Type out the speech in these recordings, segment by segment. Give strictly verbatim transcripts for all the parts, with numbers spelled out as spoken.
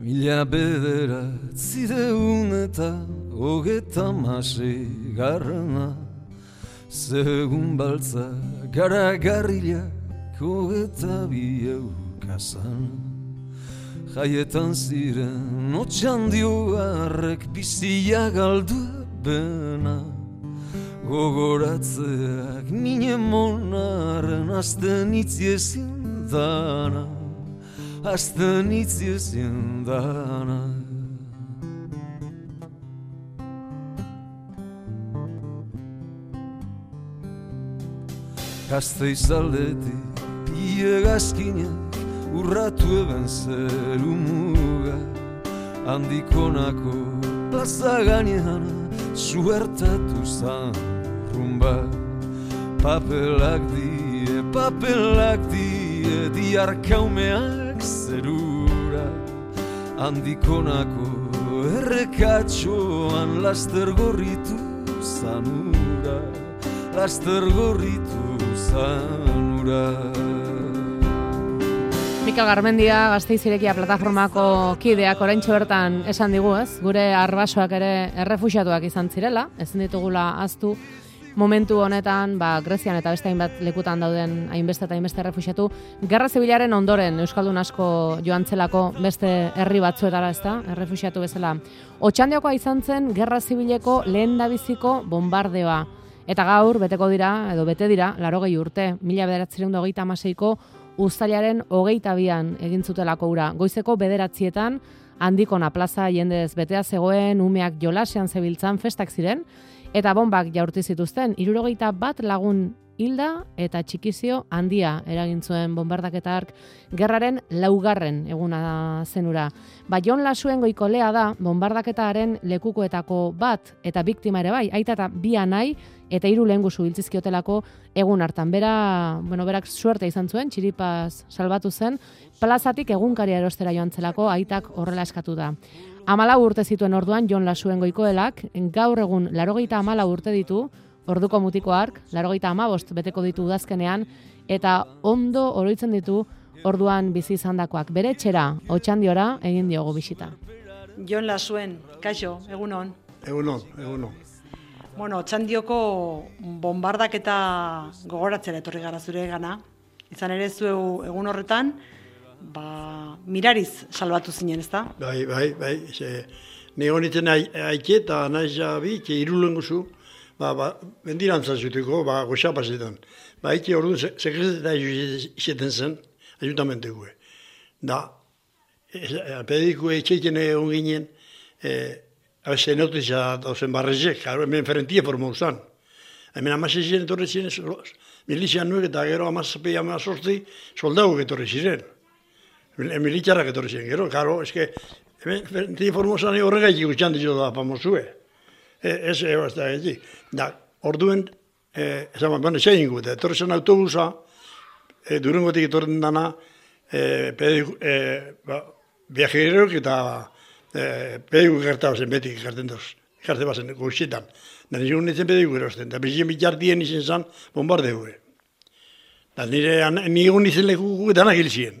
Mila bederatzireun eta hogeta mase garrana, segun baltza garagarrilak hogeta bi eukazan. Jaietan ziren otxandioarrek bizia galdu bena, gogoratzeak mine monaren azten itziezin dana, azten itziezin dana. Gazteiz aldetik piegazkinak urratu eben zeru muga, handikonako plaza gainean suertatu zan rumba. Papelak die, papelak die, diarkaumeak zerura, handikonako errekatxoan laster gorritu zanura, laster gorritu zanura. Mikel Garmendia, Gasteiz Irekia plataformako kideak oraintxe bertan esan digu, ez? Gure arbasoak ere errefuxiatuak izan zirela, ezin ditugula ahaztu momentu honetan, ba, Grezian eta beste hainbat lekutan dauden hainbeste eta hainbeste errefuxiatu, Gerra Zibilaren ondoren euskaldun asko joan zelako beste herri batzuetara, ezta? Errefuxiatu bezala. Otxandiokoa izan zen Gerra Zibileko lehendabiziko bombardeoa. Eta gaur beteko dira, edo bete dira, laurogei urte, mila bederatziehun eta hogeita hamaseiko uztailaren hogeita bian egin zutelako ura. Goizeko bederatzietan, Handikona plaza jendez betea zegoen, umeak jolasean zebiltzan festak ziren, eta bombak jaurti zituzten, hirurogeita bat lagun hilda eta txikizio handia eragin zuen bombardak eta ark gerraren laugarren eguna zenura. Ba, Jon Lasuen goikolea da bombardaketaren lekukoetako bat eta biktima ere bai, aita eta bi anai eta hiru lehengusu hiltzizkiotelako egun hartan. Bera, bueno, berak suerte izan zuen, txiripaz salbatu zen, plazatik egunkaria erostera joan zelako aitak horrela eskatu da. Amalau urte zituen orduan Jon Lasuen goikoelak, gaur egun laurogeita hamalau urte ditu, orduko mutiko ark, laurogeita hamabost beteko ditu udazkenean, eta ondo oroitzen ditu orduan bizi izandakoak. Bere etxera, Otxandiora, egin diogu bisita. Jon Lasuen, kaixo, egunon. Egunon, egunon. Bueno, Otxandioko bombardaketa gogoratzera etorri gara zure gana. Izan ere zu egun horretan, ba, mirariz salbatu zinen, ezta? Bai, bai, bai. Ni honitzen aike eta naiz jabi, irulenguzu, ba, ba, bendirantza zuteko, ba, goxapazetan. Ba, aike orduan sekreteta izeten zen, ajuntamenteko. Da, pediko etxeiten egon ginen, Habe notizia dauzen barrezek, hemen ferentia formau zan. Hemen amase ziren etorri ziren, milizian nuek eta gero amazapei amazortzi soldagok etorri ziren. Militzarak etorri ziren, gero, karo, eske, hemen ferentia formau zan horregaitik gutxan dizo da famozue. Ez, ez da egitik. Da, orduen, esan, bueno, zein gut, etorri zen autobusa, Durangotik etorren dana, viajeroak eta pedigu gertau zen beti gerten doz, gerte bazen goxetan. Da nire nintzen pedigu erosten, da bizien bitxartien izen zan bombardeu. Da nire nigun izen leku danak hil ziren.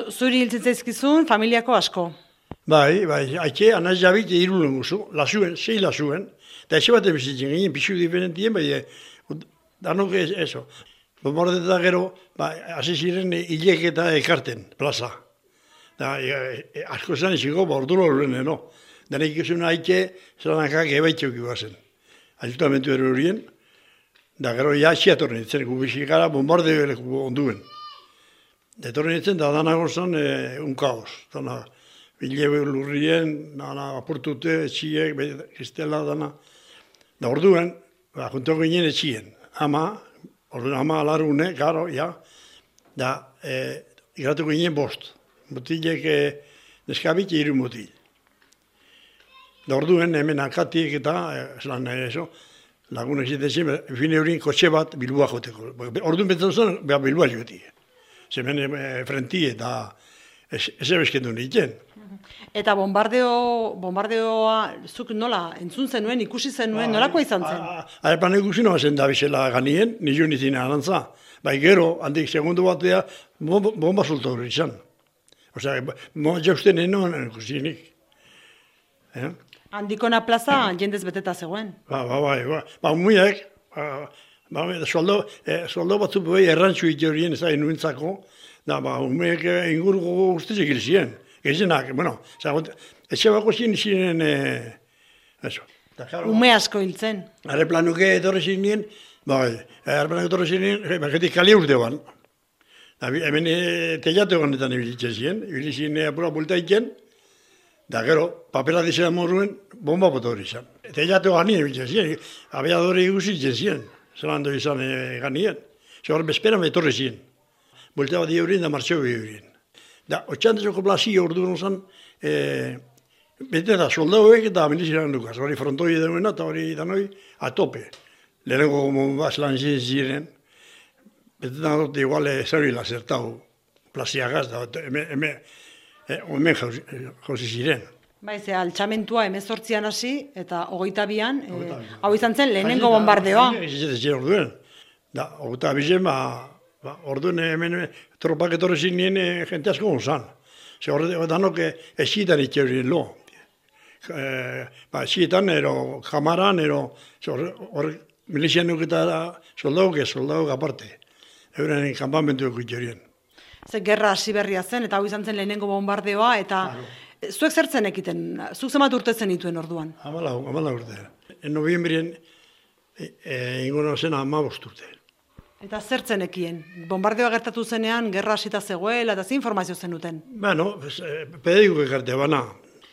Zuri hiltzen zaizkizun, familiako asko? Bai, bai, haitxe, anaz jabit irulen guzu, lasuen, sei lasuen, eta eze baten bizitzen ginen, pixu diferentien, bai, danok eso. Bombardeta gero, hasi ziren hilek eta ekarten, plaza. Da, asko zen iziko, ba, ordu lorren, no? Da, nik ikusen haitxe, zelanakak ebaitxeuk ibazen. Ajutamentu ero horien, da, gero, ja, xiatorren itzen, gubixik gara, bombardeo eleku onduen. Da, etorren itzen, da, danago zen, un kaos. Dana, bilebe lurrien, dana, apurtute, etxiek, kristela, dana. Da, orduen, ba, junto ginen etxien. Ama, orduen, ama alarune, garo, ja. Da, igratu ginen bost. Mutilek neskabit hiru mutil. Da orduen hemen akatik eta zelan eso, lagunak zitezen, fine horien kotxe bat Bilboa joteko. Orduen betzen zen, beha Bilboa joti. Zemen frenti eta ez ebeskendu nintzen. Eta bombardeo, bombardeoa zuk nola entzun zenuen, ikusi zenuen, nolakoa izan zen? Arepan ikusi noa zen da bizela ganien, nizu nizien arantza. Bai gero, handik segundu batea, bomba sulta hori izan. Osea, moa jausten enoan ikusinik. Eh? Handikona plaza jendez beteta zegoen. Ba, ba, ba, ba, ba, umuiak, ba, ba, soldo, eh, soldo batzu bai errantzu itorien ez da inuentzako, da, ba, umuiak inguruko guztizik hil ziren. Gezenak, bueno, zagot, etxe bako ziren ziren, eh, eso. Ume asko hiltzen. Are planuke etorri ziren, bai, are planuke etorri ziren, baketik kali urte ban. Da, hemen e, teiatu ganetan ibilitzen ziren, ibilitzen ziren apura bulta iken, da gero, papela dizera morruen, bomba boto hori izan. Teiatu ganien ibilitzen ziren, abiadore iguzitzen ziren, zelando izan e, ganien. Zor, bezperan etorri ziren. Bulta bat eurien da martxeo eurien. Da, otxantezoko plazio ordu zen, e, bete da, soldauek eta miliziran dukaz, hori frontoi eduena eta hori danoi, atope. Lehenengo bombaz lan ziren, bete da dut igual zerrila zertau plaziagaz, da, hemen hemen jauzi ziren. Bai, ze altxamentua emezortzian hasi eta hogeita bian, e, hau izan zen lehenengo bombardeoa. Orduen, da, hogeita bizen, ba, ba, orduen hemen tropak etorri zinien jente asko gonzan. Ze horre danok esitan itxerien lo. E, ba, esitan, ero, kamaran, ero, hor, milizian nuketa soldauk ez, soldauk aparte. Euren kanpamentuko itxerien. Ze gerra hasi berria zen, eta hau izan zen lehenengo bombardeoa, eta zuek zertzen ekiten, zuk zemat urte zen ituen orduan? Amala, amala urte. En noviembrien e, e, ingono zen amabost urte. Eta zertzen ekien? Bombardeoa gertatu zenean, gerra hasita zegoela, eta ze informazio zenuten? Bueno, pediko ekarte, bana.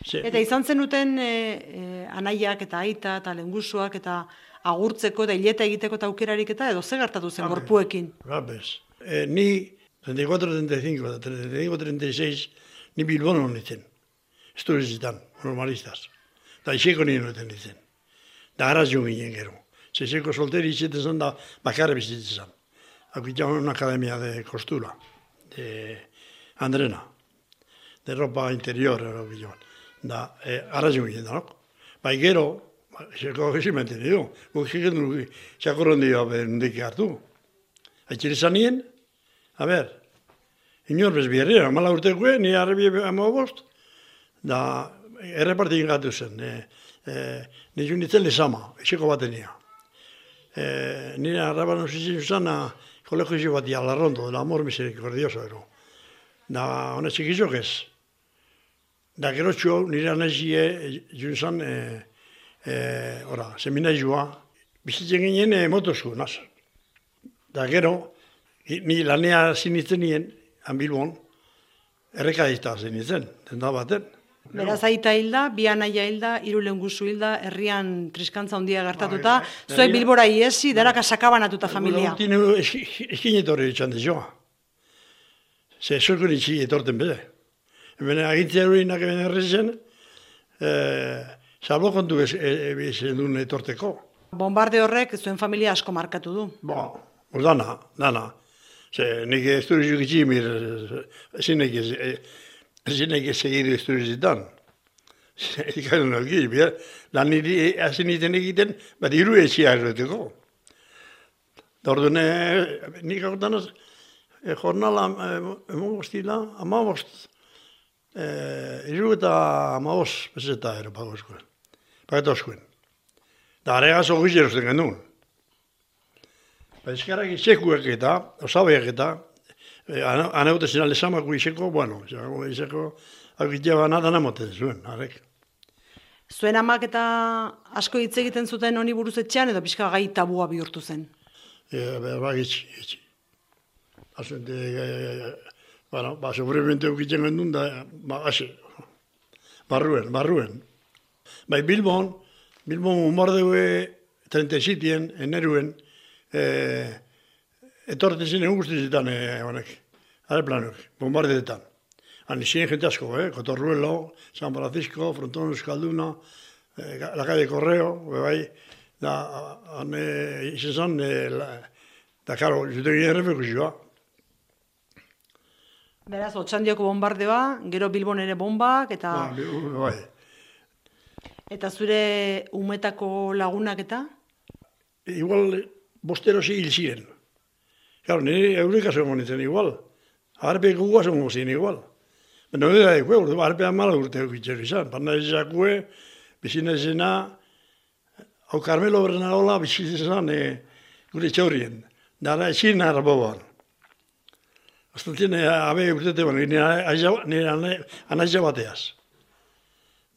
Se, eta izan zenuten e, e, anaiak eta aita eta lengusuak eta agurtzeko eta hileta egiteko eta aukerarik eta edo ze gertatu zen gorpuekin? Rabes. E, ni treinta y cuatro, treinta y cinco, treinta y cinco, treinta y seis, ni Bilbon honetzen. Esturizitan, normalistas. Da iseko nien honetzen ditzen. Da araz jo ginen gero. Zezeko solteri izaten zen da bakarra bizitzen zen. Hau itxan una akademia de costura, de Andrena, de ropa interior, da eh, araz jo ginen da, no? Bai gero, zeko gezimente nido, guk egiten du, xakorron dio bendik hartu. Aitzire zanien, a ber, inor bezbierrera, mala urtekoe, ni arrebi amabost, da errepartin gatu zen, e, e, nizu nintzen lezama, eseko batenia. E, nire arraban osizien zan, kolegio bat ialarrondo, del amor misericordioso ero. Da, hona txikizok ez. Da, gero txu, nire anezie, junzan, e, e, ora, seminaizua, bizitzen ginen e, motosku, naz. Da, gero, ni lanea zinitzen nien, han Bilbon, errekadizta zinitzen, denda baten. Beraz aita hilda, bi anaia hilda, hiru lengusu hilda, herrian triskantza handia gertatuta, zuek Bilbora iesi, daraka sakabanatuta familia. Urtin eskin etorri etxan dezoa. Ze zuekun itxi etorten bede. Hemen agintzea horinak hemen errezen, salbo kontu ezen duen etorteko. Bombarde horrek zuen familia asko markatu du. Ba, dana, dana. Ze, nik esturizu gitximir, zinek ez segidu esturizitan. Ikaren algiz, lan niri hazin iten egiten, bat iru etxia erreteko. Da orduan, nik agotan az, jornala, emogostila, amabost, iru eta amabost, bezeta ero pagoskuen, pagetoskuen. Da aregaz ogiz erosten gendun. Ezkarrak izekuak eta, osabeak eta, anaute zen alezamako izeko, bueno, izeko, hau gitea nada namoten zuen, arek. Zuen amak eta asko hitz egiten zuten honi buruz etxean, edo pixka gai tabua bihurtu zen? E, ba, gitzi, gitzi. Azuente, bueno, ba, sobremente eukitzen gendun da, ba, hasi, barruen, barruen. Bai, Bilbon, Bilbon bombardeue treinta y siete eneruen, Eh, etorten zinen guztizetan eh, honek, aerplanuk, bombardeetan. Han izien jente asko, eh? Cotorruelo, San Francisco, Frontón Euskalduna, eh, la calle Correo, bai, da, han eh, izan zan, eh, la, da, karo, zuten ginen refekuzioa. Beraz, Otxandioko bombardeoa, gero Bilbon ere bombak, eta... Ba, bai. Eta zure umetako lagunak eta? Igual, bostero si hil ziren. Claro, nire eureka zongo nintzen igual. Arpe gugua zongo ziren igual. Nire da ekue, urte, arpean mala urte eukitxer izan. Parna izakue, bizina izena, hau Carmelo Bernaola bizizan e, gure txaurien. Dara ezin nara boban. Aztatzen, abe urtete ban, nire anaitza bateaz.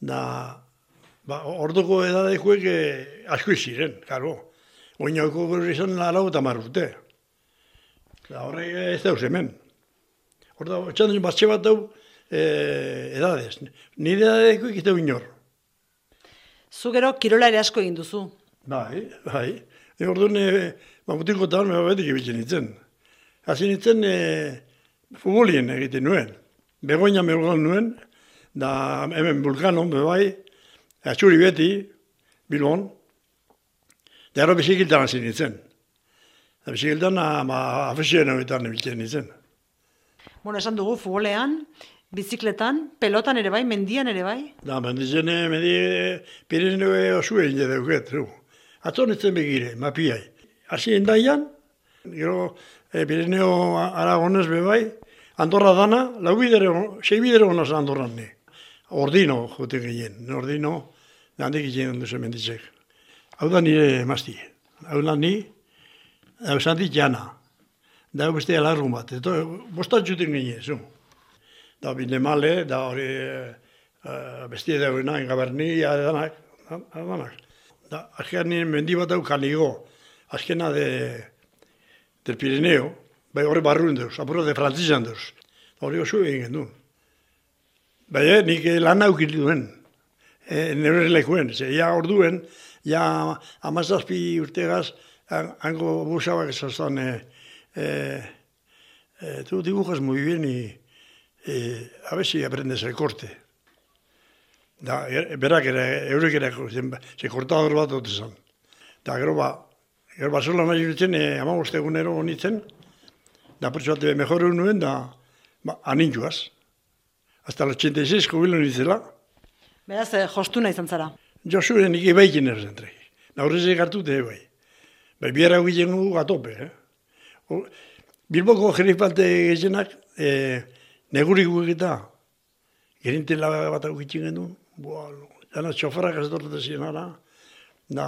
Da, ba, orduko edadekuek asko iziren, karo. Oinauko gure izan lau eta mar urte. Da, horrek ez dauz hemen. Horda, txandun batxe bat dau eh, edadez. Nire edadekuek ez dau inor. Zu gero kirola ere asko egin duzu. Bai, bai. E, orduan, e, mamutiko eta hor, betik ebitzen nintzen. Hasi nintzen, e, futbolien egiten nuen. Begoina megoan nuen, da hemen Vulkanon, bebai, atxuri beti, Bilbon, da ero bizikiltan hasi nintzen. Da bizikiltan, afesioen horretan ebitzen nintzen. Bueno, esan dugu futbolean, bizikletan, pelotan ere bai, mendian ere bai. Da, mendizen, mendi, Pirineo osue inde deuket, zu. Atzo nintzen begire, mapiai. Hasi endaian, gero e, Pirineo Aragonez bebai, Andorra dana, lau bidere, sei bidere honaz Andorran ne. Ordino, jote gehien, ordino, handik egin duzen menditzek. Hau da nire emazti, hau da ni, hau zantik jana, da hau beste alargun bat, eto bostatxuten ginen, zu. Da bine male, da hori uh, bestie dagoena, engaberni, adanak, adanak. Da, azkean nire mendi bat hau kanigo, azkena de, del Pirineo, bai hori barruen deuz, apuro de frantzizan deuz. Hori oso egin duen. Bai, eh, nik lan aukit duen, e, nire lekuen, ze ja orduen, ja amazazpi urtegaz, hango busabak esazan, e, e, e, tu dibujas muy bien y e, a ver si aprendes el corte. Da, er, berak ere, eurek ere, ze kortador bat dut esan. Da, gero ba, gero basola nahi nintzen, e, amaboste egunero honitzen, da pertsu bat mejor nuen, da, ba, anintuaz. Hasta el ochenta y seis jubilo nintzela. Beraz, eh, jostuna izan zara. Josu nik ebaikin erzentrek. Da, horrezek hartute ebai. Bai, biera egiten gu gatope, eh? O, Bilboko jerifalte gezenak, e, negurik guketa, gerintela bat egiten genuen, boa, jana txofarak ez dortet zienara, da,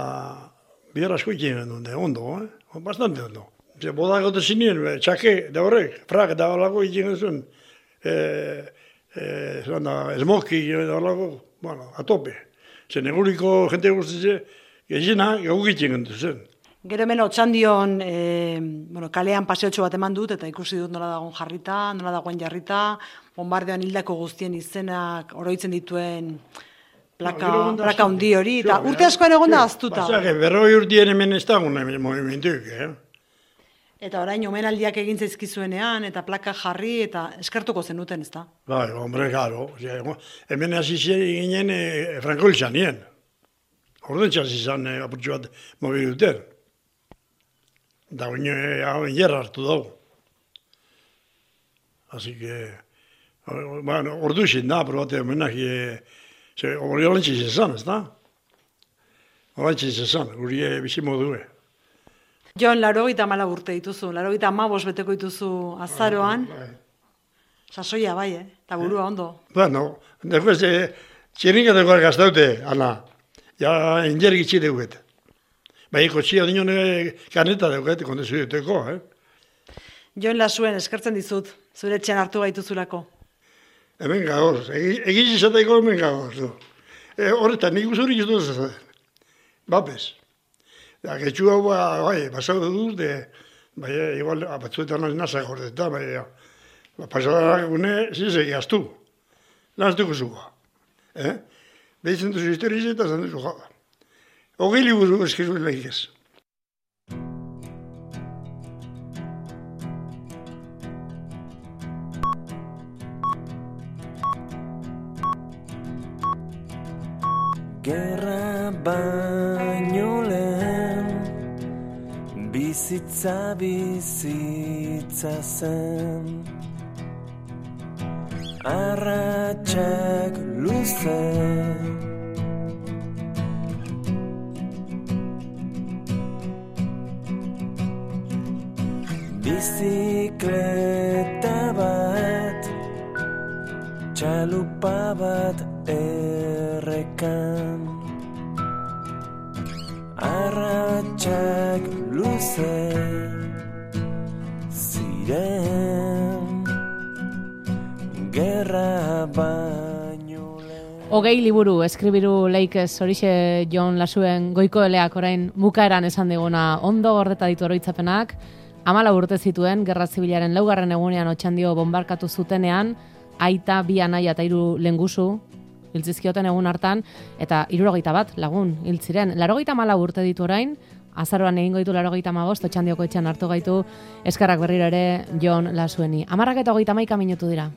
biera asko egiten genuen, de ondo, eh? Bastante ondo. Ze, bodak gote zinien, txake, da horrek, frak, da horlako egiten genuen, e, e, da, esmoki, da horlako, bueno, atope. Ze, neguriko jente guztize, gezena, gau egiten genuen zen. Gero hemen Otxandion e, bueno, kalean paseotxo bat eman dut, eta ikusi dut nola dagoen jarrita, nola dagoen jarrita, bombardean hildako guztien izenak oroitzen dituen plaka, no, plaka hundi hori, eta urte askoan egon da aztuta. Pasake, berroi urtien hemen ez dagoen movimentuik, eh? Eta orain omenaldiak egin zaizkizuenean, eta plaka jarri, eta eskartuko zenuten, ez da? Bai, hombre, garo. Hemen hasi ginen e, Franko Ilzanien. Orden txasi izan e, apurtxo bat mobil duten. Da oin jerra hartu dago. Así que, bueno, ordu izin da, probate homenaki, e, hori olentziz ezan, ez da? Olentziz ezan, guri e, bizi modue. Jon, laro gita mala urte dituzu, laro gita amabos beteko dituzu azaroan. Bai, bai. Sasoia bai, eh? Eta burua ondo. Bueno, después, e, txirringateko gaztaute, Ana. Ja, injergi txideguet. Bai, kotxia dinon kaneta deuket, kondezu duteko, eh? Jon Lasuen, eskertzen dizut, zure etxean hartu gaituzulako. Hemen gagoz, egiz izateko hemen gagoz. E, horretan, nik usurik ez duz, bapes. Da, getxu hau, bai, basau dut, de, bai, igual, batzuetan nazak horretan, bai, pasadak gune, zizek, gaztu. Naztuko zuga, eh? Behitzen duzu historiz eta zan duzu jaba. Ogei liburu eskizu lehikez. Gerra baino lehen bizitza bizitza zen arratsak luze bizikleta bat txalupa bat errekan, arratsak luze ziren, gerra baino lehen. Hogei liburu eskribiru leikez horixe Jon Lasuen goiko eleak orain bukaeran esan diguna ondo gordeta ditu oroitzapenak. Hamala urte zituen, Gerra Zibilaren laugarren egunean Otxandio bonbarkatu zutenean, aita, bi anaia eta hiru lengusu hiltzizkioten egun hartan, eta hirurogeita bat lagun hil ziren. Larogeita hamala urte ditu orain, azaroan egingo ditu larogeita hamabost, Otxandioko etxean hartu gaitu, eskerrak berriro ere Jon Lasueni. Hamarrak eta hogeita hamaika minutu dira.